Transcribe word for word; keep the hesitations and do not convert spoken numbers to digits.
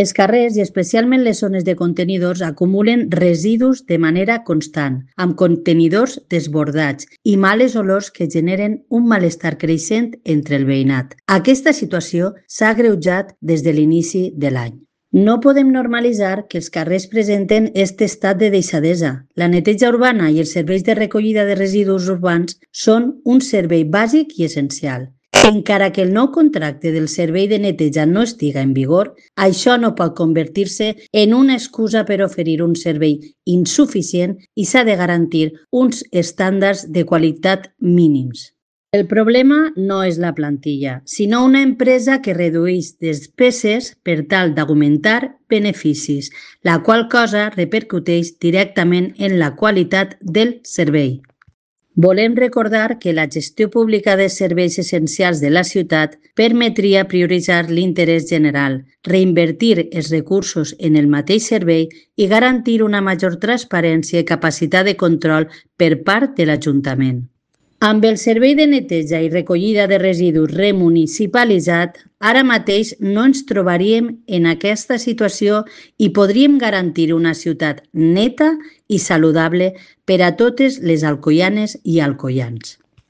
Els carrers i especialment les zones de contenidors acumulen residus de manera constant, amb contenidors desbordats i males olors que generen un malestar creixent entre el veïnat. Aquesta situació s'ha agreujat des de l'inici de l'any. No podem normalitzar que els carrers presenten aquest estat de deixadesa. La neteja urbana i els serveis de recollida de residus urbans són un servei bàsic i essencial. Encara que el nou contracte del servei de neteja no estiga en vigor, això no pot convertir-se en una excusa per oferir un servei insuficient i s'ha de garantir uns estàndards de qualitat mínims. El problema no és la plantilla, sinó una empresa que redueix despeses per tal d'augmentar beneficis, la qual cosa repercuteix directament en la qualitat del servei. Volem recordar que la gestió pública de serveis essencials de la ciutat permetria prioritzar l'interès general, reinvertir els recursos en el mateix servei i garantir una major transparència i capacitat de control per part de l'Ajuntament. Amb el servei de neteja i recollida de residus remunicipalitzat, ara mateix no ens trobaríem en aquesta situació i podríem garantir una ciutat neta i saludable per a totes les alcoianes i alcoians.